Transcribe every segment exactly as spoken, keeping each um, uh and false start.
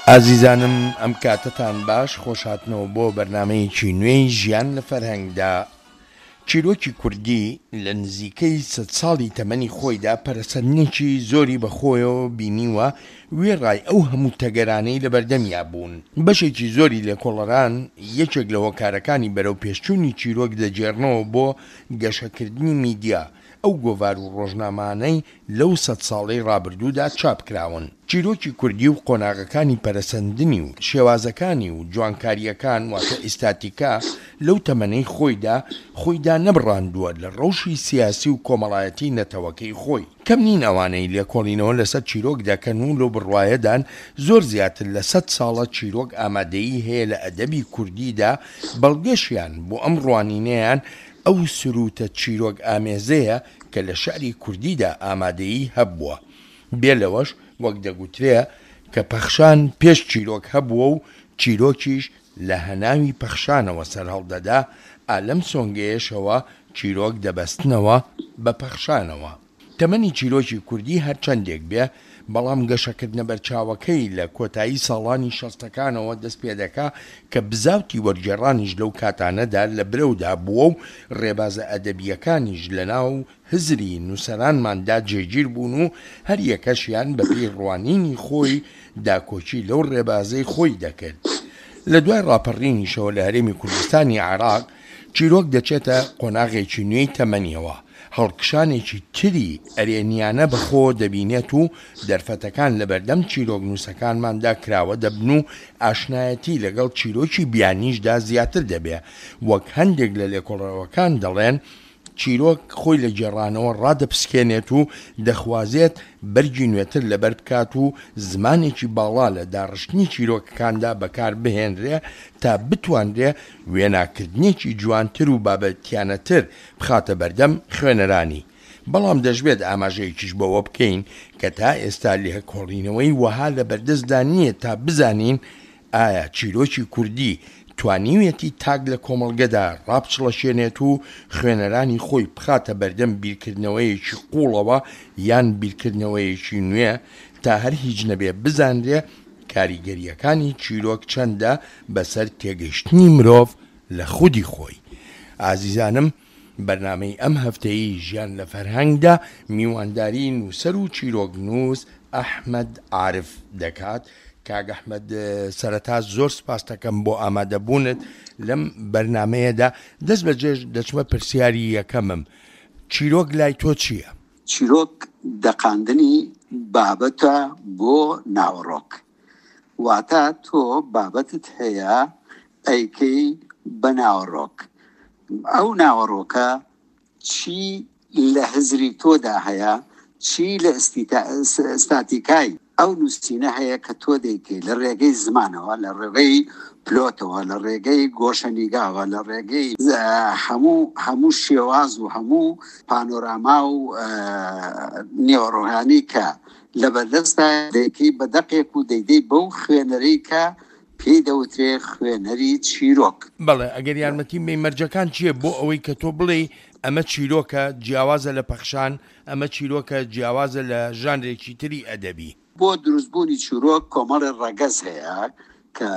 ئازیزانم ئەم کاتەتان باش، خۆشهاتنەوە بۆ بەرنامەیەکی نوێی ژیان لە فەرهەنگدا. چیرۆکی کوردی لە نزیکەی سەد ساڵی تەمەنی خۆیدا پەرەسەندنێکی زۆری بەخۆیەوە بینیوە، وێڕای ئەو هەموو تەگەرانەی لەبەردەمیا بوون. بەشێکی زۆری لێکۆڵەران یەکێک لە هۆکارەکانی بەرەوپێشچوونی چیرۆک دەگێڕنەوە بۆ گەشەکردنی میدیا، ئەو گۆڤار و ڕۆژنامانەی لەو سەد ساڵەی ڕابردوودا چاپ کراون. چیرۆکی کوردی و قۆناغەکانی پەرەسەندنی و شێوازەکانی و جوانکارییەکان واتە ئیستاتیکا لەو تەمەنەی خۆیدا خۆی دانەبڕاندووە لە ڕەوشی سیاسی و کۆمەڵایەتی نەتەوەکەی خۆی. کەم نین ئەوانەی لێکۆڵینەوە لەسەر چیرۆک دەکەن و لەو بڕوایەدان زۆر زیاتر لە سەد ساڵە چیرۆک ئامادەیی هەیە لە ئەدەبی کوردیدا، بەڵگەشیان بۆ ئەم ڕوانینەیان ئەو سروتە چیرۆک ئامێزەیە کە لە شعری کوردیدا ئامادەیی هەبووە. بێ لەوەش وەک دەگوترێ کە پەخشان پێش چیرۆک هەبووە و چیرۆکیش لە هەناوی پەخشانەوە سەرهەڵدەدا، ئا لەم سۆنگەیەشەوە چیرۆک دەبەستنەوە بە پەخشانەوە. تەمەنی چیرۆکی کوردی هەرچەندێک بێ، بەڵام گەشەکردنە بەرچاوەکەی لە کۆتایی ساڵانی شەستەکانەوە دەست پێدەکا کە بزاوتی وەرگێڕانیش لەو کاتانەدا لە برەودا بووە و ڕێبازە ئەدەبییەکانیش لەناو هزری نووسەرانماندا جێگیر بوون و هەر یەکەشیان بەپێی ڕوانینی خۆی داکۆکی لەو ڕێبازەی خۆی دەکرد. لە دوای ڕاپەڕینیشەوە لە هەرێمی کوردستانی عێراق چیرۆک دەچێتە قۆناغێکی نوێی تەمەنیەوە، هەڵکشانێکی تری ئەرێنیانە بەخۆوە دەبینێت و دەرفەتەکان لەبەردەم چیرۆکنووسەکانماندا کراوە دەبن و ئاشنایەتی لەگەڵ چیرۆکی بیانیشدا زیاتر دەبێ. وەک هەندێک لە لێکۆڵەرەوەکان دەڵێن چیرۆک خۆی لە گێڕانەوە ڕادەپسکێنێت و دەخوازێت بەرگی نوێتر لەبەر بکات و زمانێکی باڵا لە داڕشتنی چیرۆکەکاندا بەکار بهێنرێ تا بتوانرێ وێناکردنێکی جوانتر و بابەتیانەتر بخاتە بەردەم خوێنەرانی. بەڵام دەشبێت ئاماژەیەکیش بەوە بکەین کە تا ئێستا لێکۆڵینەوەی وەها لەبەردەستدا نییە تا بزانین ئایا چیرۆکی کوردی توانیویەتی تاک لە کۆمەڵگەدا ڕابچڵەکێنێت و خوێنەرانی خۆی بخاتە بەردەم بیرکردنەوەیەکی قووڵەوە یان بیرکردنەوەیەکی نوێ تا هەر هیچ نەبێ بزانرێ کاریگەرییەکانی چیرۆک چەندە بەسەر تێگەیشتنی مرۆڤ لە خودی خۆی. ئازیزانم بەرنامەی ئەم هەفتەیەی ژیان لە فەرهەنگدا میوانداری نووسەر و چیرۆکنووس ئەحمەد عارف دەکات. کاک ئەحمەد سەرەتا زۆر سپاستەکەم بۆ ئامادەبوونت لەم بەرنامەیەدا. دەست بەجێش دەچمە پرسیاری یەکەمم، چیرۆک لای تۆ چییە؟ چیرۆک دەقاندنی بابەتە بۆ ناوەڕۆک، واتە تۆ بابەتت هەیە ئەیکەی بە ناوەڕۆک، ئەو ناوەڕۆکە چی لە هزری تۆدا هەیە، چی لە ئیستاتیکای ئەو نووسینە هەیە کە تۆ دەیکەی لە ڕێگەی زمانەوە، لە ڕێگەی پلۆتەوە، لە ڕێگەی گۆشەنیگاوە، لە ڕێگەی هەموو هەموو شێواز و هەموو پانۆراما و نێوەڕۆکانی کە لە بەردەستدا دەیکەی بە دەقێک و دەیدەی بەو خوێنەرەی کە پێی دەوترێ خوێنەری چیرۆک. بەڵێ، ئەگەر یارمەتیم بەی مەرجەکان چییە بۆ ئەوەی کە تۆ بڵێی ئەمە چیرۆکە جیاوازە لە پەخشان، ئەمە چیرۆکە جیاوازە لە ژانرێکی تری ئەدەبی؟ بۆ دروستبوونی چیرۆک کۆمەڵێ ڕەگەز هەیە کە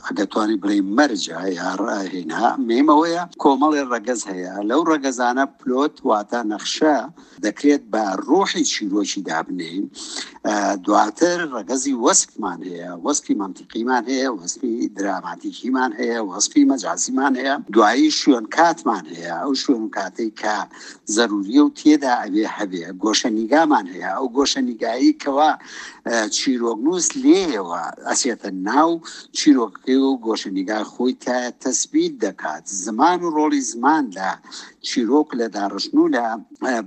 ئەگەر توانی بڵێی مەرجە یا هینا، مهم ئەوەیە کۆمەڵێ ڕەگەز هەیە، لەو ڕەگەزانە پلۆت واتە نەخشە دەکرێت بە ڕۆحی چیرۆکی دابنێین. دواتر ڕەگەزی وەسفمان هەیە، وەسفی مەنتیقیمان هەیە، وەسفی دراماتیکیمان هەیە، وەسفی مەجازیمان هەیە، دوایی شوێن کاتمان هەیە، ئەو شوێن و کاتەی کە زەروریە و تێدا ئەبێ هەبێ. گۆشەنیگامان هەیە، ئەو گۆشەنیگایی کەوا چیرۆکنووس لێیەوە ئەچێتە ناو چیرۆکەکەی و گۆشەنیگای خۆی تا تەسبیت دەکات. زمان و ڕۆڵی زمان لە چیرۆک لە داڕشتن و لە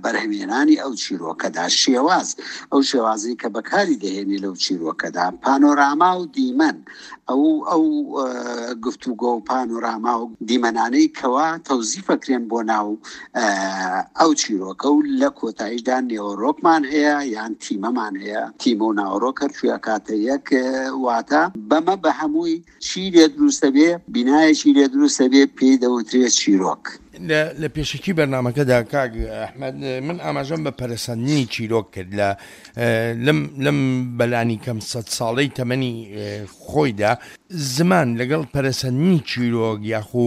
بەرهەمێنانی ئەو چیرۆکەدا، شێواز، ئەو شێوازی کە بەکاری دەهێنێ لەو چیرۆکەدا، پانۆراما و دیمەن، ئەو ئەو گفتوگۆ و پانۆراما و دیمەنانەی کەوا تەوزیفەکرێن بۆ ناو ئەو چیرۆکە. و لە کۆتاییشدا نێوەڕۆکمان هەیە یان تیمەمان هەیە، تیمە و ناوەڕۆک هەرکوێ ئەکاتە یەک، واتە بەمە بە هەموو هەمووی چی لێ دروستە بێ، بینایەکی لێ دروستە بێ، پێی دەوترێت چیرۆک. لە پێشەکی بەرنامەکەدا کاک ئەحمەد من ئاماژەم بە پەرەسەندنی چیرۆک کرد لە لەم لەم بەلانی کەم سەد ساڵەی تەمەنی خۆیدا. زمان لەگەڵ پەرەسەندنی چیرۆک یاخو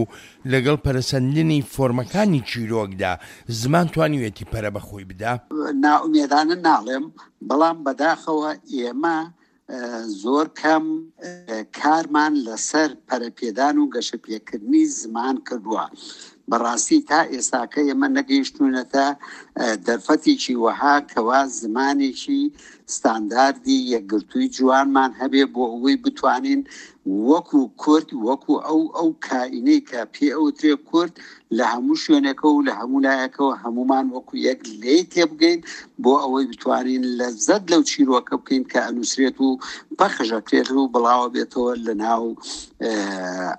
لەگەڵ پەرەسەندنی فۆرمەکانی چیرۆکدا زمان توانیوێتی پەرە بە خۆی بدا؟ نائومێدانە ناڵێم، بەڵام بەداخەوە ئێمە زۆر کەم کارمان لەسەر پەرەپێدان و گەشەپێکردنی زمان کردووە. بەڕاستی تا ئێستاکە ئێمە نەگەیشتوونەتە دەرفەتێکی وەها کەوا زمانێکی ستانداردی یەکگرتووی جوانمان هەبێ بۆ ئەوەی بتوانین وەکو کورد، وەکو ئەو ئەو کائینەی کە پێ ئەوترێ کورد لە هەموو شوێنێکەوە و لە هەموو لایەکەوە هەمومان وەکو یەک لێی تێبگەین بۆ ئەوەی بتوانین لەزەت لەو چیرۆکە بکەین کە ئەنووسرێت و پەخشەکرێت و بڵاوە بێتەوە لە ناو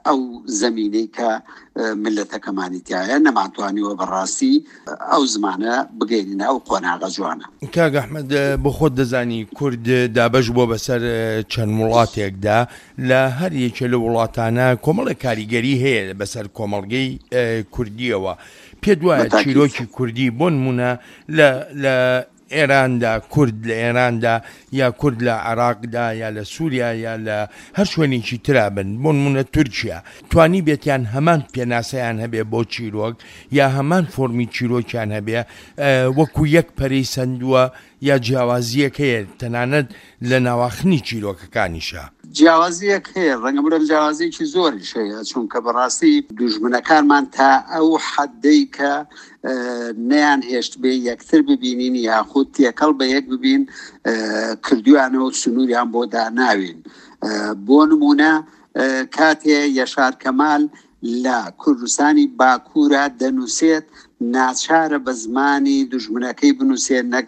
ئەو زەمینەی کە ملەتەکەمانی تایە. نەمانتوانیوە بەڕاستی ئەو زمانە بگەینە ئەو قۆناغە جوانە. کاک ئەحمەد، بۆ خۆت دەزانی کورد دابەش بووە بەسەر چەند وڵاتێکدا، لە هەر یەکێ لە وڵاتانە کۆمەڵێک کاریگەری هەیە بەسەر کۆمەڵگەی کوردیەوە. پێت وایە چیرۆکی کوردی بۆ نمونە لە لە ئێراندا، کورد لە ئێراندا یا کورد لە عێراقدا یا لە سووریا یا لە هەر شوێنێکی ترا بن، بۆ نمونە تورکیا، توانی بێتیان هەمان پێناسەیان هەبێ بۆ چیرۆک یا هەمان فۆرمی چیرۆکیان هەبێ وەکو یەک پەرەی سەندووە یا جیاوازیەک هەیە تەنانەت لە ناواخنی چیرۆکەکانیشە؟ جیاوازیەک هەیە، ڕەنگە بڵێم جیاوازیەکی زۆریش هەیە، چونکە بەڕاستی دوژمنەکانمان تا ئەو حەدەی کە نەیان هێشت بێ یەکتر ببینین یاخود تێکەڵ بە یەک ببین کردویانەوە سنووریان بۆ داناوین. بۆ نمونە کاتێ یەشار کەمال لە کوردستانی باکوورە دەنووسێت، ناچارە بە زمانی دوژمنەکەی بنووسێت نەک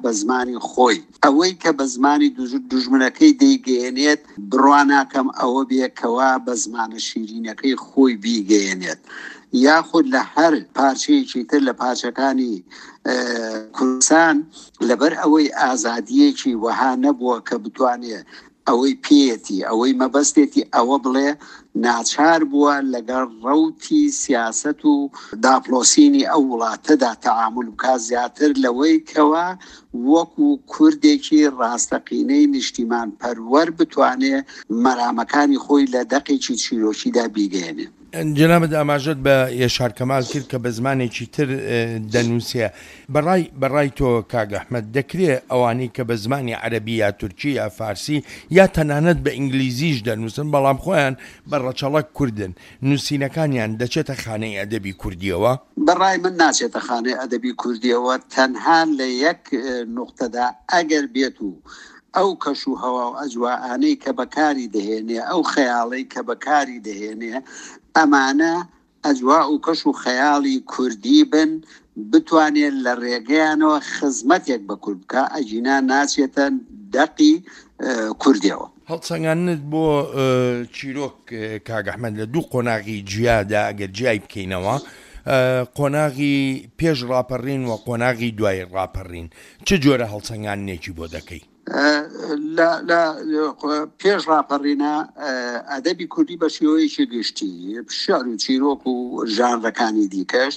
بە زمانی خۆی. ئەوەی کە بە زمانی دوژمنەکەی دەیگەیەنێت بڕوا ناکەم ئەوە بێکەوە بە زمانە شیرینەکەی خۆی بیگەیەنێت. یاخود لە هەر پارچەیەکی تر لە پارچەکانی کوردستان لەبەر ئەوەی ئازادیەکی وەها نەبووە کە بتوانێت ئەوەی پێیەتی، ئەوەی مەبەستێتی ئەوە بڵێ، ناچار بووە لەگەڵ ڕەوتی سیاسەت و داپلۆسینی ئەو وڵاتەدا تەعامل بکات زیاتر لەوەی کەوا وەکو کوردێکی ڕاستەقینەی نیشتیمان پەروەر بتوانێ مەرامەکانی خۆی لە دەقێکی چیرۆکیدا بیگەیەنێ. جەنابت ئاماژەت بە یەشار کەمال کرد کە بە زمانێکی تر دەنووسێ. بەڕای بەڕای تۆ کاک ئەحمەد دەکرێ ئەوانەی کە بە زمانی عەرەبی یا تورکی یا فارسی یا تەنانەت بە ئینگلیزیش دەنووسن بەڵام خۆیان بە ڕەچەڵەک کوردن، نووسینەکانیان دەچێتە خانەی ئەدەبی کوردیەوە؟ بەڕای من ناچێتە خانەی ئەدەبی کوردیەوە، تەنها لە یەک نقطەدا ئەگەر بێت و ئەو کەش و هەوا و ئەجوائانەی کە بەکاری دەهێنێ، ئەو خەیاڵەی کە بەکاری دەهێنێ، ئەمانە ئەجوا و کەش و خەیاڵی کوردی بن، بتوانێت لە ڕێگەیانەوە خزمەتێک بە کورد بکە، ئەگینا ناچێتە دەقی کوردیەوە. هەڵسەنگاندنت بۆ چیرۆک کاک ئەحمەد لە دوو قۆناغی جیادا ئەگەر جیای بکەینەوە، قۆناغی پێش ڕاپەڕین و قۆناغی دوای ڕاپەڕین، چ جۆرە هەڵسەنگاندنێکی بۆ دەکەی؟ لە پێش ڕاپەڕینە ئەدەبی کوردی بە شێوەیەکی گشتی شعر و چیرۆک و ژانرەکانی دیکەش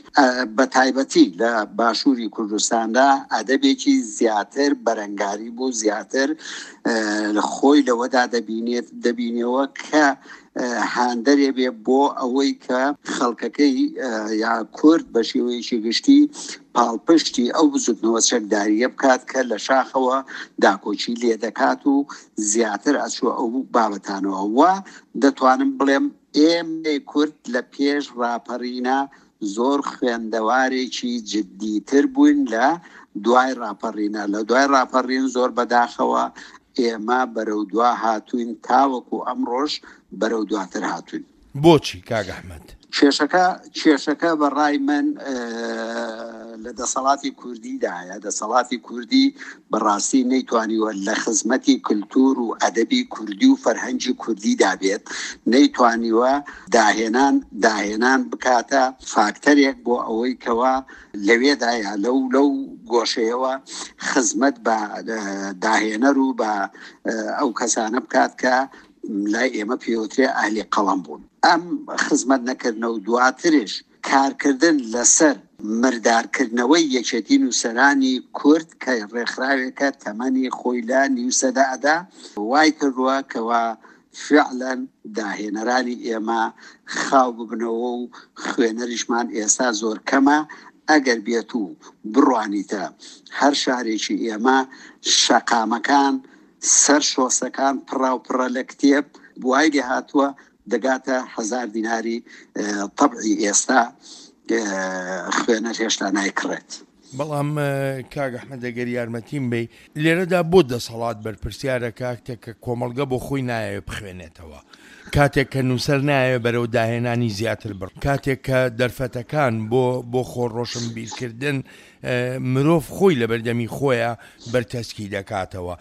بە تایبەتی لە باشووری کوردستاندا ئەدەبێکی زیاتر بەرەنگاری بوو، زیاتر خۆی لەوەدا دەبینێت دەبینەوە کە هاندەرێ بێ بۆ ئەوەی کە خەڵکەکەی یا کورد بە شێوەیەکی گشتی پاڵپشتی ئەو بزوتنەوە چەکداریە بکات کە لە شاخەوە داکۆکی لێ دەکات و زیاتر ئەچوە ئەو بابەتانەوە. و دەتوانم بڵێم ئێمەی کورد لە پێش ڕاپەڕینە زۆر خوێندەوارێکی جدیتر بووین لە دوای ڕاپەڕینە. لە دوای ڕاپەڕین زۆر بەداخەوە ئێمە بەرەو دوا هاتوین تاوەکو ئەمڕۆژ بەرەو دواتر هاتوین. بۆچی کاک ئەحمەد؟ کێشەکە کێشەکە بە ڕای من لە دەسەڵاتی کوردیدایە. دەسەڵاتی کوردی بەڕاستی نەیتوانیوە لە خزمەتی کللتور و ئەدەبی کوردی و فەرهەنگی کوردیدا بێت، نەیتوانیوە داهێنان داهێنان بکاتە فاکتەرێک بۆ ئەوەی کەوا لەوێدایە لەو لەو گۆشەیەوە خزمەت بە داهێنەر و بە ئەو کەسانە بکات کە لای ئێمە پێوترێ ئەهلی قەڵەم بوون. ئەم خزمەت نەکردنە و دواترش کارکردن لەسەر مردارکردنەوەی یەکێتی نووسەرانی کورد کە ڕێکخراوێکە تەمەنی خۆی لە نیو سەدە ئەدا، وای کردووە کەوا فعلا داهێنەرانی ئێمە خاو ببنەوە و خوێنەریشمان ئێستا زۆر کەمە. ئەگەر بێت و بڕوانیتە هەر شارێکی ئێمە شەقامەکان سەر شۆسەکان پڕاو پڕە لە کتێب، وای لێ هاتووە دەگاتە هەزار دیناری تەبعی ئێستا خوێنەر هێشتا نایکڕێت. بەڵام کاک ئەحمەد ئەگەر یارمەتیم بی لێرەدا بۆ دەسەڵات بەرپرسیارە کاتێک کە کۆمەڵگە بۆ خۆی نایەوێت بخوێنێتەوە، کاتێک کە نووسەر نایەوێت بەرەو داهێنانی زیاتر بڕ، کاتێک کە دەرفەتەکان بۆ بۆ خۆ ڕۆشنبیرکردن مرۆڤ خۆی لە بەردەمی خۆیە بەرتەسکی دەکاتەوە،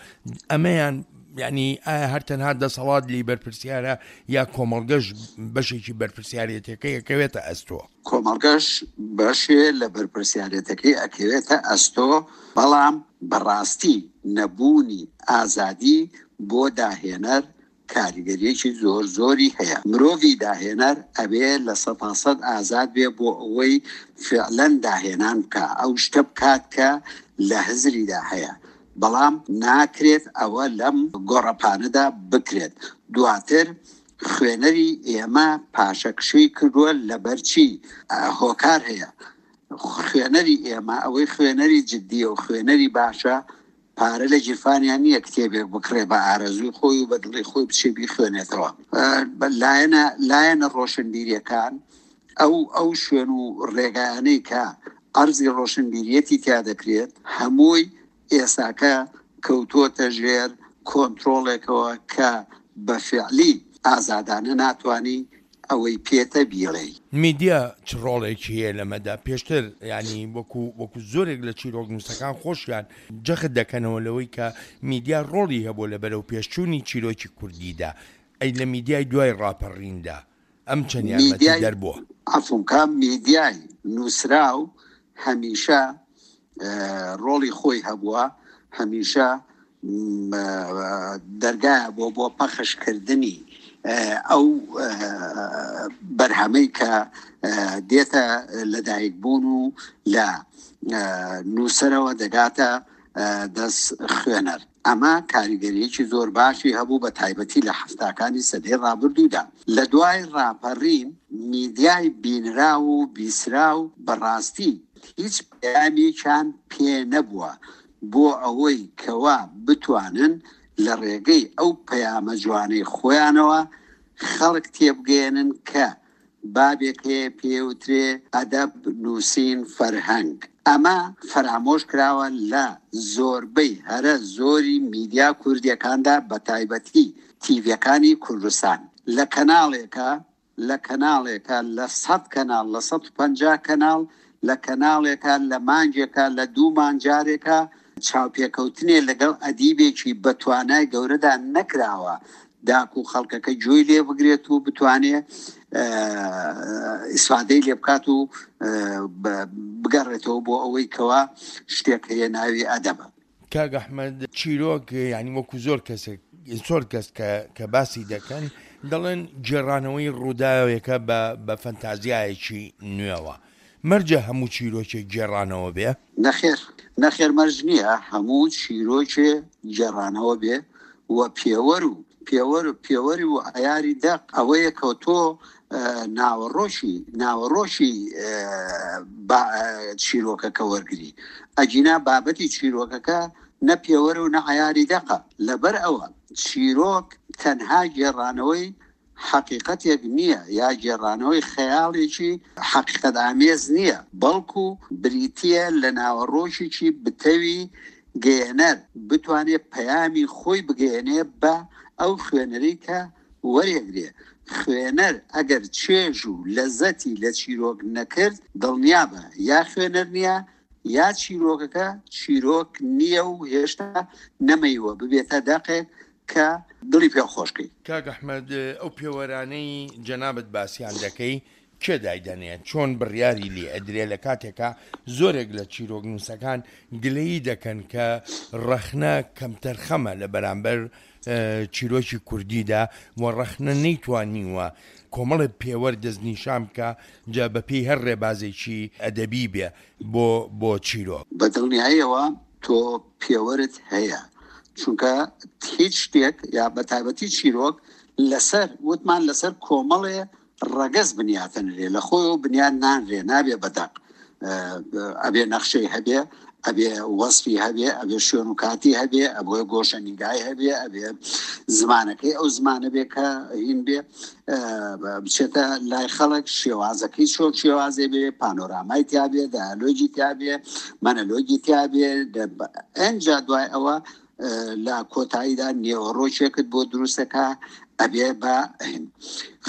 ئەمەیان یعنی ئایا هەر تەنها دەسەڵات لی بەرپرسیارە یا کۆمەڵگەش بەشێکی بەرپرسیارێتەکەی ئەکەوێتە ئەستۆ؟ کۆمەڵگەش بەشێ لە بەرپرسیارێتەکەی ئەکەوێتە ئەستۆ، بەڵام بەڕاستی نەبوونی ئازادی بۆ داهێنەر کاریگەریەکی زۆر زۆری هەیە. مرۆڤی داهێنەر ئەبێ لە سەدا سەد ئازاد بێ بۆ ئەوەی فعلەن داهێنان بکە، ئەو شتە بکات کە لە هزریدا هەیە، بەڵام ناکرێت ئەوە لەم گۆڕەپانەدا بکرێت. دواتر خوێنەری ئێمە پاشەکشەی کردووە لەبەرچی هۆکار هەیە. خوێنەری ئێمە ئەوەی خوێنەری جدیە و خوێنەری باشە پارە لە گیرفانیان نییە کتێبێک بکڕێ بە ئارەزووی خۆی و بە دڵی خۆی بچێ بیخوێنێتەوە. لایەنە لایەنە ڕۆشنبیریەکان ئەو ئەو شوێن و ڕێگایانەی کە ئەرزی ڕۆشنبیریەتی تیا دەکرێت هەمووی ئێساکە کەوتووەتە ژێر کۆنترۆڵێکەوە کە بە فعلی ئازادانە ناتوانانی ئەوەی پێتە بیڵێ. میدیا چ ڕۆڵێکی هەیە لەمەدا؟ پێشتر ینی وەکو وەکو زۆرێک لە چیرۆکنووسەکان خۆشیان جەخت دەکەنەوە لەوەی کە میدیا ڕۆڵی هەبوو لە بەرەو پێشچوونی چیرۆکی کوردیدا. ئەی لە میدیای دوای ڕاپەڕیندا ئەم چەند یارمەتی دەربووە؟ عەفوم کە میدیای نووسراو هەمیشە ڕۆڵی خۆی هەبووە، هەمیشە دەرگایە بۆ بۆ پەخشکردنی ئەو بەرهەمەی کە دێتە لەدایک بوون و لە نووسەرەوە دەگاتە دەست خوێنەر. ئەمە کاریگەریەکی زۆر باشی هەبوو بە تایبەتی لە هەفتاکانی سەدەی ڕابردوودا. لە دوای ڕاپەڕین میدیای بینراو و بیسراو بەڕاستی هیچ پەیامێکیان پێ نەبووە بۆ ئەوەی کەوا بتوانن لە ڕێگەی ئەو پەیامە جوانەی خۆیانەوە خەڵک تێبگەیەنن کە بابێک هەیە پێوترێ ئەدەب، نووسین، فەرهەنگ. ئەمە فەرامۆش کراوە لە زۆربەی هەرە زۆری میدیا کوردیەکاندا، بە تایبەتی تیڤیەکانی کوردستان. لە کەناڵێکە لە کەناڵێکە لە سەد کەناڵ، لە سەد و پەنجا کەناڵ، لە کەناڵێکە لە مانگێکە لە دوو مانجارێکە چاوپێکەوتنێ لەگەڵ ئەدیبێکی بەتوانای گەورەدا نەکراوە داکو خەڵکەکە گوێی لێ بگرێت و بتوانێ ئیسفادەی لێ بکات و بگەڕێتەوە بۆ ئەوەی کەوا شتێک هەیە ناوی ئەدەبە. کاک ئەحمەد، چیرۆک یعنی وەکو زۆر کەسێک زۆر کەس کە باسی دەکەن دەڵێن گێڕانەوەی ڕووداوێکە بە فەنتازیایەکی نوێوە. مەرجە هەموو چیرۆکێک گێڕانەوە بێ؟ نەخێر، نەخێر مەرج نییە هەموو چیرۆکێ گێڕانەوە بێ و پێوەر و پێوەر و پێوەری و عیاری دەق ئەوەیە کە تۆ ناوەڕۆشی ناوەڕۆشی چیرۆکەکە وەرگری. ئەگینا بابەتی چیرۆکەکە نە پێوەر و نە عیاری دەقە. لەبەر ئەوە چیرۆک تەنها گێڕانەوەی حەقیقەتێک نییە یا گێڕانەوەی خەیاڵێکی حەقیقەت ئامێز نییە، بەڵکو بریتییە لە ناوەڕۆشێکی بتەوی گەیەنەر بتوانێت پەیامی خۆی بگەیەنێ بە ئەو خوێنەری کە وەرێگرێ. خوێنەر ئەگەر چێژ و لەزەتی لە چیرۆک نەکرد دڵنیابە یا خوێنەر نییە یا چیرۆکەکە چیرۆک نییە و هێشتا نەمەیوە ببێتە دەقێک کە دڵی پێ خۆشکەی. کاک ئەحمەد، ئەو پێوەرانەی جەنابت باسییان دەکەی کێ دایدەنێت؟ چۆن بڕیاری لێ ئەدرێ لە کاتێکا زۆرێک لە چیرۆکنووسەکان گلەیی دەکەن کە ڕەخنە کەمتەرخەمە لە بەرامبەر چیرۆکی کوردیدا و ڕەخنە نەیتوانیوە کۆمەڵێ پێوەر دەستنیشان بکا جا بەپێی هەر ڕێبازێکی ئەدەبی بێ بۆ بۆ چیرۆک. بە دڵنیاییەوە تۆ پێوەرت هەیە، چونکە هیچ شتێک یا بە تایبەتی چیرۆک لەسەر وتمان لەسەر کۆمەڵێ ڕەگەز بنیاتەنرێ، لە خۆیەوە بنیات نانرێ، نابێ بە دەق، ئەبێ نەخشەی هەبێ، ئەبێ وەصفی هەبێ، ئەبێ شوێن و کاتی هەبێ، ئەبێ گۆشە نیگای هەبێ، ئەبێ زمانەکەی ئەو زمانە بێ کە هین بێ بچێتە لای خەڵک، شێوازەکەی چۆن شێوازێ بێ، پانۆرامای تیا بێ، دایالۆگی تیا بێ، مەنەلۆگی تیا بێ. ئەنجا دوای ئەوە لە کۆتاییدا نێوەڕۆکێکت بۆ دروستەکە ئەبێ بە هین.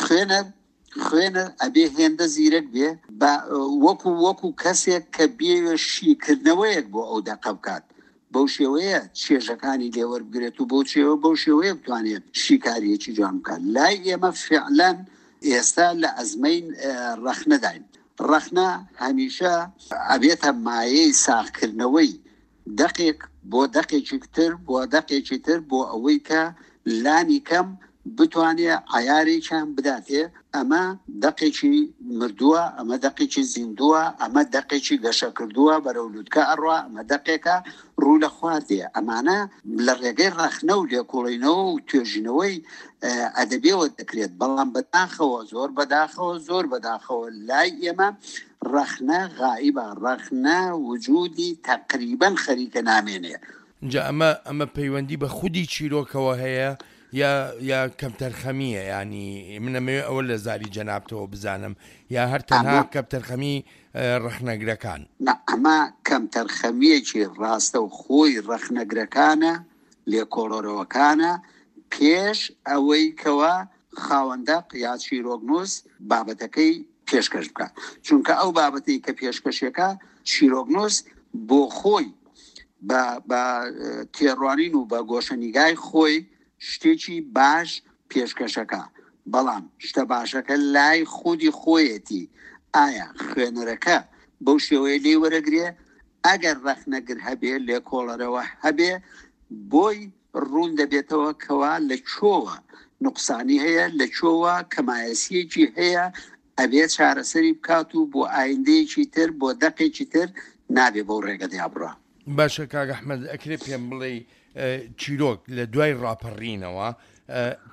خوێنەر خوێنەر ئەبێ هێندە زیرەک بێ بە وەکو وەکو کەسێک کە بێوێ شیکردنەوەیەک بۆ ئەو دەقە بکات، بەو شێوەیە چێژەکانی لێوەربگرێت و بۆ شێوە بەو شێوەیە بتوانێت شیکاریەکی جوان بکات. لای ئێمە فعلەن ئێستا لە ئەزمەی ڕەخنەداین. ڕەخنە هەمیشە ئەبێتە مایەی ساغکردنەوەی دەقێک بۆ دەقێکی تر بۆ دەقێکی تر بۆ ئەوەی کە لانی کەم بتوانێ عیارێکیان بداتێ. ئەمە دەقێکی مردووە، ئەمە دەقێکی زیندووە، ئەمە دەقێکی گەشەکردووە بەرەو لوتکە ئەڕوا، ئەمە دەقێکە ڕوو لە خوار دێ. ئەمانە لە ڕێگەی ڕەخنە و لێکۆڵینەوە و توێژینەوەی ئەدەبیەوە دەکرێت. بەڵام بەداخەوە، زۆر بەداخەوە، زۆر بەداخەوە لای ئێمە ڕەخنە غائیبە، ڕەخنە وجودی تقریبا خەریکە نامێنێ. اینجا ئەمە ئەمە پەیوەندی بە خودی چیرۆکەوە هەیە یا یا کەمتەرخەمیە؟ ینی من ئەمەوێ ئەوە لە زاری جەنابتەوە بزانم، یا هەر تەنها کەمتەرخەمی ڕەخنەگرەکان؟ نا، ئەمە کەمتەرخەمیەکی ڕاستە و خۆی ڕەخنەگرەکانە، لێکۆڵەرەوەکانە، پێش ئەوەی کەوا خاوەندەق یا چیرۆکنووس بابەتەکەی پێشکەش بکات. چونکە ئەو بابەتەی کە پێشکەشێکە چیرۆکنووس بۆ خۆی بە تێڕوانین و بە گۆشەنیگای خۆی شتێکی باش پێشکەشەکە، بەڵام شتە باشەکە لای خودی خۆیەتی. ئایا خوێنەرەکە بەو شێوەیە لێ وەرەگرێ؟ ئەگەر ڕەخنەگر هەبێ، لێکۆڵەرەوە هەبێ، بۆی ڕوون دەبێتەوە کەوا لە چۆوە نقصانی هەیە، لە چۆوە کەمایەسیەکی هەیە، ئەبێ چارەسەری بکات و بۆ ئایندەیەکی تر، بۆ دەقێکی تر نابێ بەو ڕێگەدا بڕا. باشە کاک ئەحمەد، ئەکرێ پێم بڵێ چیرۆک لە دوای ڕاپەڕینەوە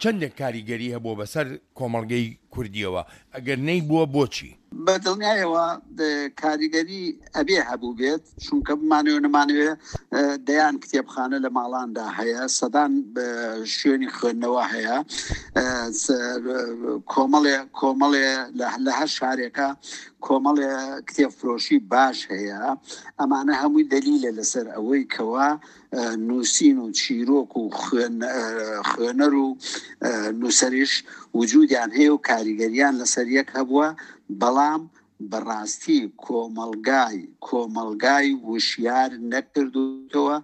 چەندێک کاریگەری هەبووە بەسەر کۆمەڵگەی کوردیەوە؟ ئەگەر نەیبووە بۆچی؟ بە دڵنیایەوە کاریگەری ئەبێ هەبوو بێت، چونکە بمانەوێ نەمانەوێ دەیان کتێبخانە لە ماڵاندا هەیە، سەدان شوێنی خوێندنەوە هەیە، کۆمەڵێ کۆمەڵێ لە هەر شارێکە کۆمەڵێ کتێبفرۆشی باش هەیە. ئەمانە هەمووی دەلیلە لەسەر ئەوەی کەوا نووسین و چیرۆک و خوێنەر و نووسەریش وجودیان هەیە و کاریگەریان لەسەر یەک هەبووە. بەڵام بەڕاستی کۆمەلگای کۆمەلگای وشیار نەکردوتەوە.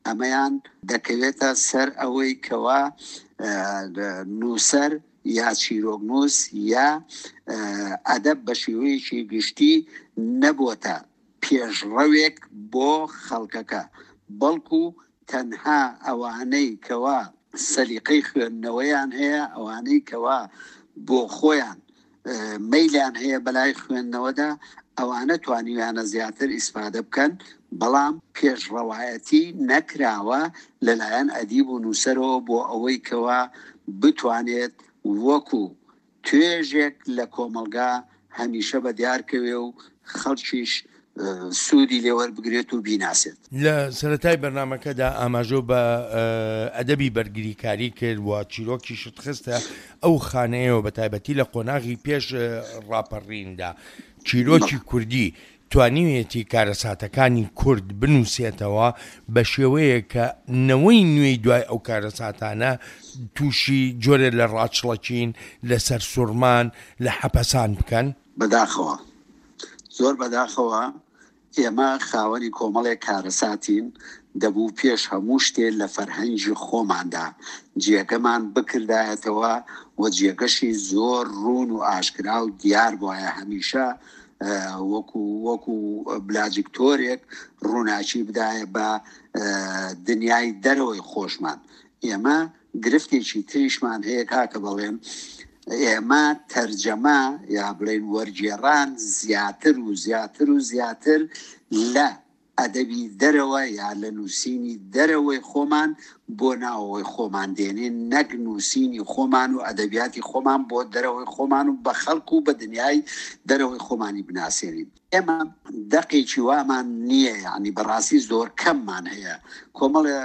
ئەمەیان دەکەوێتە سەر ئەوەی کەوا نووسەر یا چیرۆکنووس یا ئەدەب بە شێوەیەکی گشتی نەبووەتە پێشڕەوێک بۆ خەڵکەکە، بەڵکو تەنها ئەوانەی کەوا سەلیقەی خوێندنەوەیان هەیە، ئەوانەی کەوا بۆ خۆیان مەیلیان هەیە بەلای خوێندنەوەدا، ئەوانە توانیویانە زیاتر ئیسفادە بکەن. بەڵام پێشڕەوایەتی نەکراوە لەلایەن ئەدیب و نووسەرەوە بۆ ئەوەی کەوا بتوانێت وەکو توێژێک لە کۆمەلگا هەمیشە بە دیارکەوێ و خەڵکیش سوودی لێوەربگرێت و بیناسێت. لە سەرەتای بەرنامەکەدا ئاماژە بە ئەدەبی بەرگریکاری کرد و چیرۆکیشت خستە ئەو خانەیەوە بە تایبەتی لە قۆناغی پێش ڕاپەڕیندا. چیرۆکی کوردی توانیویەتی کارەساتەکانی کورد بنووسێتەوە بە شێوەیە کە نەوەی نوێی دوای ئەو کارەساتانە تووشی جۆرێ لە ڕاچڵەکین، لە سەرسوورمان، لە حەپەسان بکەن؟ بەداخەوە، زۆر بەداخەوە ئێمە خاوەنی کۆمەڵێک کارەساتین. دەبوو پێش هەموو شتێ لە فەرهەنگی خۆماندا جێگەمان بکردایەتەوە و جێگەشی زۆر ڕوون و ئاشکرا و دیار بواە. هەمیشە وەکو وەکو بلاجکتۆرێک ڕووناکی بدایە بە دنیای دەرەوەی خۆشمان. ئێمە گرفتێکی تریشمان هەیە کاکە بەڵێن، ئێمە تەرجەمە یا بڵێن وەرگێڕان زیاتر و زیاتر و زیاتر لە ئەدەبی دەرەوە یا لە نووسینی دەرەوەی خۆمان بۆ ناوەوەی خۆمان دێنین، نەک نووسینی خۆمان و ئەدەبیاتی خۆمان بۆ دەرەوەی خۆمان و بە خەڵک و بە دنیای دەرەوەی خۆمانی بناسێنین. ئێمە دەقێکی وامان نییە، یعنی بەڕاستی زۆر کەممان هەیە، کۆمەڵێ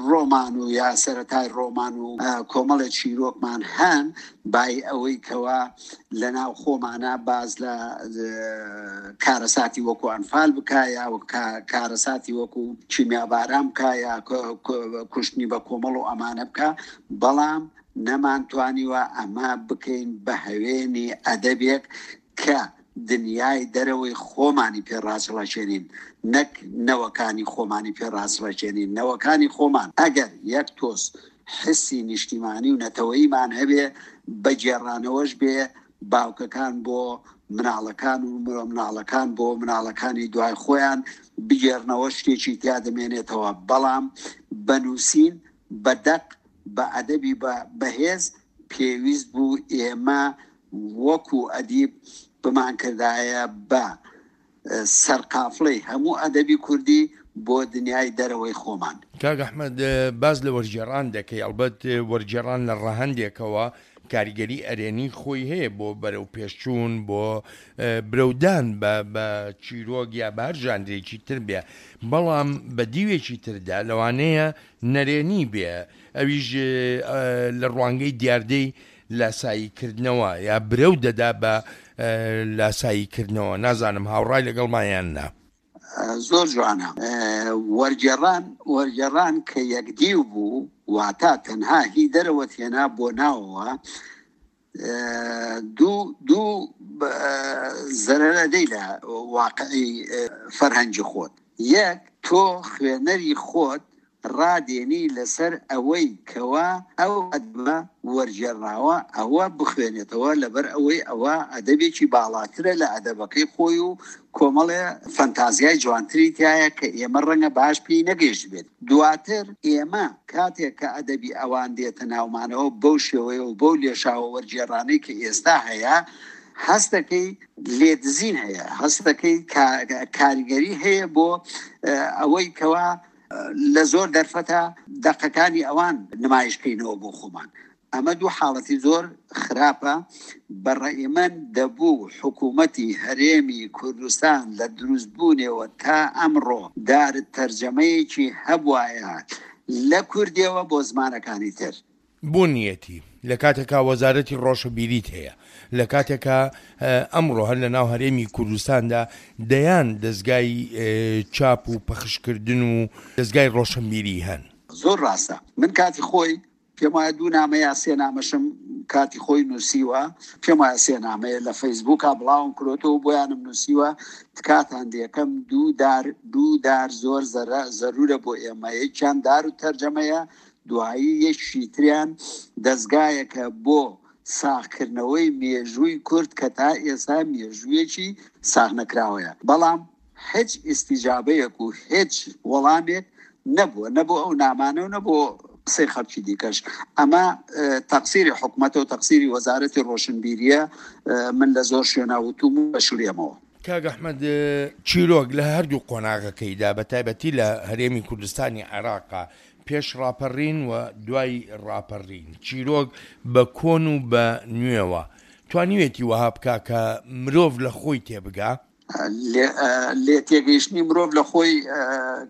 ڕۆمان و یا سەرەتای ڕۆمان و کۆمەڵێ چیرۆکمان هەن، بای ئەوەی کەوا لە ناو خۆمانە باز لە کارەساتی وەکو ئەنفال بکا یا کارەساتی وەکو کیمیاباران بکا یا کوشتنی بە کۆمەڵ و ئەمانە بکا، بەڵام نەمانتوانیوە ئەمە بکەین بە هەوێنی ئەدەبێک کە دنیای دەرەوەی خۆمانی پێ ڕاچڵەکێنین، نەک نەوەکانی خۆمانی پێ ڕاچڵەکێنین. نەوەکانی خۆمان ئەگەر یەک تۆز حسی نیشتیمانی و نەتەوەیمان هەبێ، بەگێڕانەوەش بێ باوکەکان بۆ مناڵەکان و مناڵەکان بۆ مناڵەکانی دوای خۆیان بگێڕنەوە شتێکی تیا دەمێنێتەوە. بەڵام بە نووسین، بە دەق، بە ئەدەبی بەهێز پێویست بوو ئێمە وەکو ئەدیب بمان کردایە بە سەرقافڵەی هەموو ئەدەبی کوردی بۆ دنیای دەرەوەی خۆمان. کاک ئەحمەد، باز لە وەرگێڕان دەکەی، ئەلبەت وەرگێڕان لە ڕەهەندێکەوە کاریگەری ئەرێنی خۆی هەیە بۆ بەرەو پێشچوون، بۆ برەودان بە چیرۆک یا بە هەر ژانرێکی تر بێ، بەڵام بە دیوێکی تردا لەوانەیە نەرێنی بێ، ئەویش لە ڕوانگەی دیاردەی لاساییکردنەوە یا برەو دەدا بە لاساییکردنەوە. نازانم هاوڕای لەگەڵمایان نا؟ زۆر جوانە. وەرگێڕان وەرگێڕان کە یەکدیو بوو، واتا تەنها هی دەرەوەت هێنا بۆ ناوەوە، دوو دوو زەرەرە دەی لە واقعی فەرهەنگی خۆت. یەک، تۆ خوێنەری خۆت ڕادێنی لەسەر ئەوەی کەوا ئەو ئەدەبە وەرگێڕاوە ئەوە بخوێنێتەوە، لەبەر ئەوەی ئەوە ئەدەبێکی باڵاترە لە ئەدەبەکەی خۆی و کۆمەڵێ فەنتازیای جوانتری تایە کە ئێمە ڕەنگە باش پێی نەگەیشت بێت. دواتر ئێمە کاتێک کە ئەدەبی ئەوان دێتە ناومانەوە بەو شێوەیە و بەو لێشاوە وەرگێڕانەی کە ئێستا هەیە، هەستەکەی لێدزین هەیە، هەستەکەی کاریگەری هەیە بۆ ئەوەی کەوا لە زۆر دەرفەتە دەقەکانی ئەوان نمایشکەینەوە بۆ خۆمان. ئەمە دوو حاڵەتی زۆر خراپە. بەڕێی من دەبوو حکوومەتی هەرێمی کوردستان لە دروستبوونەوە تا ئەمڕۆ دار تەرجەمەیەکی هەبوایە لە کوردیەوە بۆ زمانەکانی تر. بوونیەتی لە کاتێکا وەزارەتی ڕۆشنبیریت هەیە، لە کاتێکا ئەمڕۆ هەر لە ناو هەرێمی کوردستاندا دەیان دەستگای چاپ و پەخشکردن و دەستگای ڕۆشنبیری هەن. زۆر ڕاستە. من کاتی خۆی پێم وایە دوو نامە یا سێ نامەشم کاتی خۆی نووسیوە، پێم وایە سێ نامەیە لە فەیسبووکا بڵاوم کرۆتەوە بۆیانم نووسیوە، تکاتان دێکەم دوو دار دوو دار زۆر زەرورە بۆ ئێمە، یەکیان دار و تەرجەمەیە، دوایی یەکی تریان دەستگایەکە بۆ ساغکردنەوەی مێژووی کورد کە تا ئێستا مێژوویەکی ساغ نەکراوەیە. بەڵام هیچ ئیستیجابەیەک و هیچ وەڵامێک نەبووە، نەبوو ئەو نامانە و نەبوو قسەی خەڵکی دیکەش. ئەمە تەقسیری حکومەتە و تەقسیری وەزارەتی ڕۆشنبیریە. من لە زۆر شوێنە وتوم و بەشڵێمەوە. کاک ئەحمەد، چیرۆک لە هەردوو قۆناغەکەیدا بە تایبەتی لە هەرێمی کوردستانی عێراقا پێش ڕاپەڕین و دوای ڕاپەڕین، چیرۆک بە کۆن و بە نوێوە توانیوێتی وەها بکا کە مرۆڤ لە خۆی تێبگا؟ لێ تێگەیشتنی مرۆڤ لە خۆی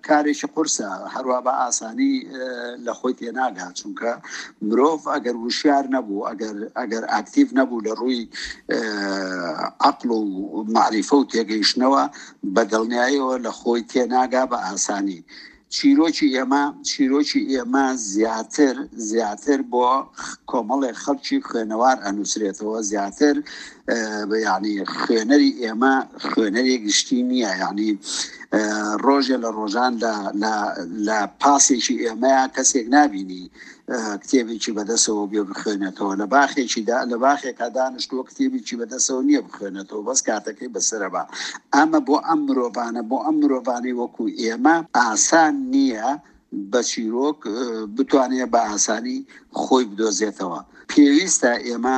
کارێکی قورسە، هەروە بە ئاسانی لە خۆی تێناگا، چونکە مرۆڤ ئەگەر وشیار نەبوو، ئەگەر ئەگەر ئاکتیڤ نەبوو لە ڕووی عەقڵ و معریفە و تێگەیشتنەوە، بە دڵنیاییەوە لە خۆی تێناگا بە ئاسانی. چیرۆکی ئێمە چیرۆکی ئێمە زیاتر زیاتر بۆ کۆمەڵێک خەڵکی خوێنەوار ئەنووسرێتەوە، زیاتر یعنی خوێنەری ئێمە خوێنەری گشتی نییە. یعنی ڕۆژێ لە ڕۆژان لە پاسێکی ئێمەیە کەسێک نابینی کتێبێکی بەدەسەوە بێ بخوێنێتەوە، لە باخێکیدا لە باخێکا دانیشتووە کتێبێکی بەدەسەوە نییە بخوێنێتەوە، بەس کاتەکەی بەسەرە بە. ئەمە بۆ ئەم مرۆڤانە، بۆ ئەم مرۆڤانەی وەکو ئێمە ئاسان نییە بە چیرۆک بتوانێت بە ئاسانی خۆی بدۆزێتەوە. پێویستە ئێمە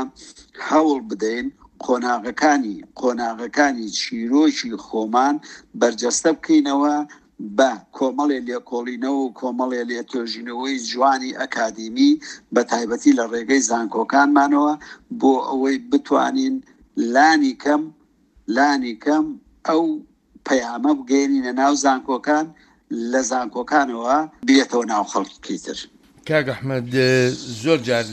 هەوڵ بدەین قۆناغەکانی قۆناغەکانی چیرۆکی خۆمان بەرجەستە بکەینەوە بە کۆمەڵێ لێکۆڵینەوە و کۆمەڵێ لێتۆژینەوەی جوانی ئەکادیمی بە تایبەتی لە ڕێگەی زانکۆکانمانەوە بۆ ئەوەی بتوانین لانی کەم لانی کەم ئەو پەیامە بگەێنینە ناو زانکۆکان، لە زانکۆکانەوە بێتەوە ناو خەڵکی تر. کاک ئەحمەد، زۆر جار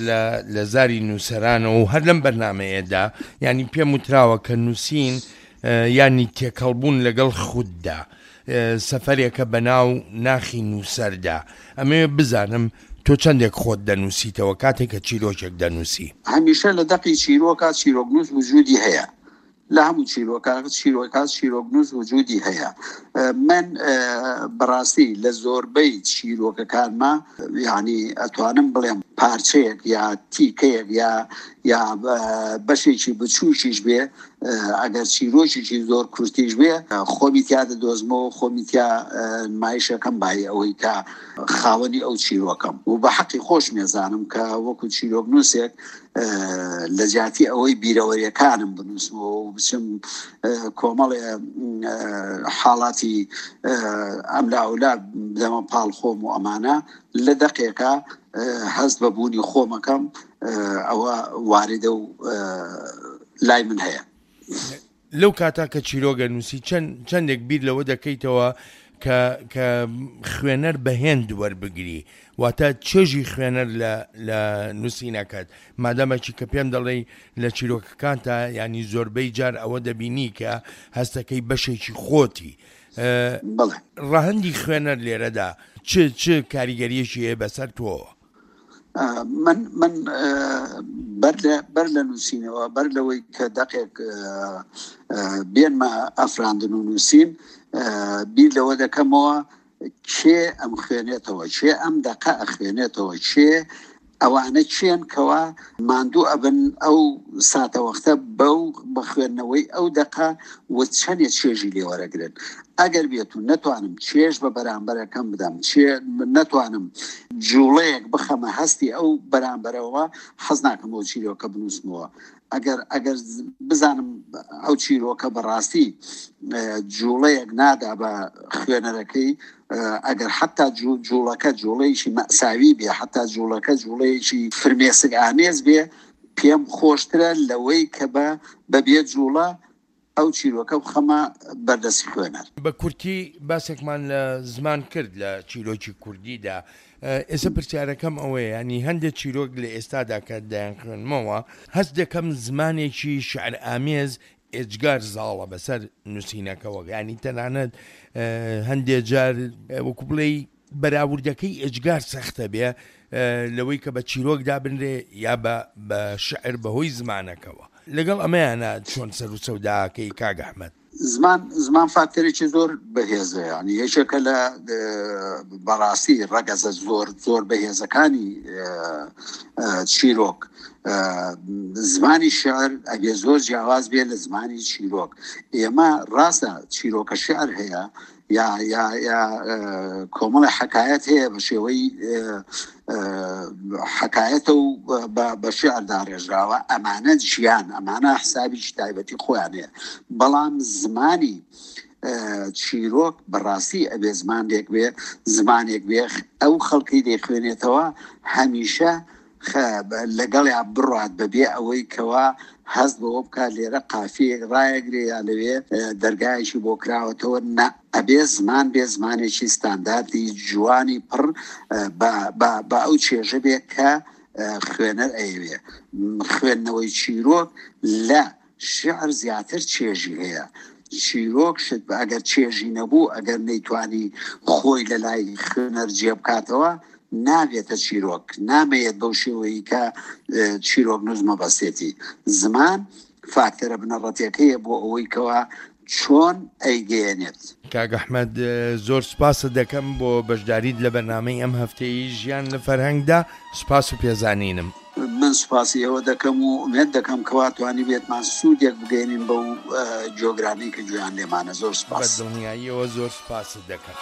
لە زاری نووسەرانەوە و هەر لەم بەرنمەیەدا ینی پێم وتراوە کە نووسین ینی تێکەڵبوون لەگەڵ خوددا، سەفەرێکە بە ناو ناخی نووسەردا. ئەمەوێ بزانم تۆ چەندێک خۆت دەنووسیتەوە کاتێک کە چیرۆکێک دەنووسی؟ هەمیشە لە دەقی چیرۆکە چیرۆکنووس وجودی هەیە، لە هەموو چیرۆکە چیرۆکە چیرۆکنووس وجودی هەیە. من بەڕاستی لە زۆربەی چیرۆکەکانما یعنی ئەتوانم بڵێم پارچەیەک یا تیکەیەک یا یا بەشێکی بچووکیش بێ، ئەگەر چیرۆکێکی زۆر کورتیش بێ، خۆمی تیا دەدۆزمەوە، خۆمی تیا نمایشەکەم بای ئەوەی کە خاوەنی ئەو چیرۆکەم و بە حەقی خۆش مێزانم کە وەکو چیرۆکنووسێک لە جیاتی ئەوەی بیرەوەریەکانم بنووسمەوە و بچم کۆمەڵێ حاڵاتی ئەملاولا بدەمە پاڵ خۆم و ئەمانە، لە دەقێکە هەست بە بوونی خۆمەکەم ئەوە واردە و لای من هەیە. لەو کاتا کە چیرۆگە نووسی چەندێک بیر لەوە دەکەیتەوە کە کە خوێنەر بەهێند وەربگری، واتە چێژی خوێنەر لە نووسینەکەت، مادەمەکی کە پێم دەڵێی لە چیرۆکەکانتا ینی زۆربەی جار ئەوە دەبینی کە هەستەکەی بەشێکی خۆتی. ڕەهەندی خوێنەر لێرەدا چ چ کاریگەریەکی هەیە بەسەر تۆوە؟ من من بەر بەر لە نووسینەوە، بەر لەوەی کە دەقێک بێنمە ئەفراندن و نووسین، بیر لەوە دەکەمەوە کێ ئەم خوێنێتەوە، کێ ئەم دەقە ئەخوێنێتەوە، کێ ئەوانە چێن کەوا ماندوو ئەبن ئەو ساتەوەختە بەو بەخوێندنەوەی ئەو دەقە و چەندێ چێژی لێوەرەگرن. ئەگەر بێت و نەتوانم چێژ بە بەرامبەرەکەم بدەم، چێ نەتوانم جوڵەیەک بخەمە هەستی ئەو بەرامبەرەوە، حەز ناکەم ئەو چیرۆکە بنووسمەوە. ئەگەر ئەگەر بزانم ئەو چیرۆکە بەڕاستی جوڵەیەک نادا بە خوێنەرەکەی، ئەگەر حتا جوڵەکە جوڵەیەکی مەساوی بێ، حتا جوڵەکە جوڵەیەکی فرمێسک ئامێز بێ، پێم خۆشترە لەوەی کە بە بەبێ جوڵە ئەو چیرۆکە بخەمە بەردەستی خوێنەر. بە کورتی باسێکمان لە زمان کرد لە چیرۆکی کوردیدا. ئێستا پرسیارەکەم ئەوەیە، ینی هەندێک چیرۆک لە ئێستادا کە دەیان خوێنمەوە هەست دەکەم زمانێکی شعر ئامێز ئێجگار زاڵە بەسەر نووسینەکەوە، ینی تەنانەت هەندێک جار وەکو بڵێی بەراوردەکەی ئێجگار سەختە بێ لەوەی کە بە چیرۆک دابنرێ یا بە شعر بەهۆی زمانەکەوە. لەگەڵ ئەمەیانە چۆن سەر و سەوداکەی کاک ئەحمەد؟ زمان زمان فاکتەرێکی زۆر بەهێزە، ینی یەکێکە لە بەڕاستی ڕەگەزە زۆر زۆر بەهێزەکانی چیرۆک. زمانی شعر ئەگێ زۆر جیاواز بێ لە زمانی چیرۆک. ئێمە ڕاستە چیرۆکە شعر هەیە یا یا یا کۆمەڵی حکایەت هەیە بە شێوەی حکایەتە و بە شعر داڕێژراوە، ئەمانە ژیان، ئەمانە حسابێکی تایبەتی خۆیان هەیە. بەڵام زمانی چیرۆک بەڕاستی ئەبێ زمانێک بێ، زمانێک بێ ئەو خەڵکی دەیخوێنێتەوە هەمیشە لەگەڵیا بڕات بەبێ ئەوەی کەوا هەست بەوە بکات لێرە قافیەک ڕایەگرێ یا لەوێ دەرگایەکی بۆ کراوەتەوە. نە، ئەبێ زمان بێ زمانێکی ستانداردی جوانی پڕ بە ئەو چێژە بێ کە خوێنەر ئەیەوێ. خوێندنەوەی چیرۆک لە شعر زیاتر چێژی هەیە. چیرۆک شت ئەگەر چێژی نەبوو، ئەگەر نەیتوانی خۆی لە لای خوێنەر جێ بکاتەوە، نابێتە چیرۆک، نامەیەت بەو شێوەیە کە چیرۆک نووس مەبەستێتی. زمان فاکتەرە بنەڕەتیەکەیە بۆ ئەوەی کەوا چۆن ئەیگەیەنێت. کاک ئەحمەد، زۆر سوپاست دەکەم بۆ بەشداریت لە بەرنامەی ئەم هەفتەیە ژیان لە فەرهەنگدا. سوپاس و پێزانینم. من سوپاسی ئێوە دەکەم و ئومێد دەکەم کەوا توانی بێتمان سوودێک بگەێنین بەو جیۆگرانی کە گوێیان لێمانە. زۆر سوپاس. بە دڵنیاییەوە زۆر سوپاست دەکەم.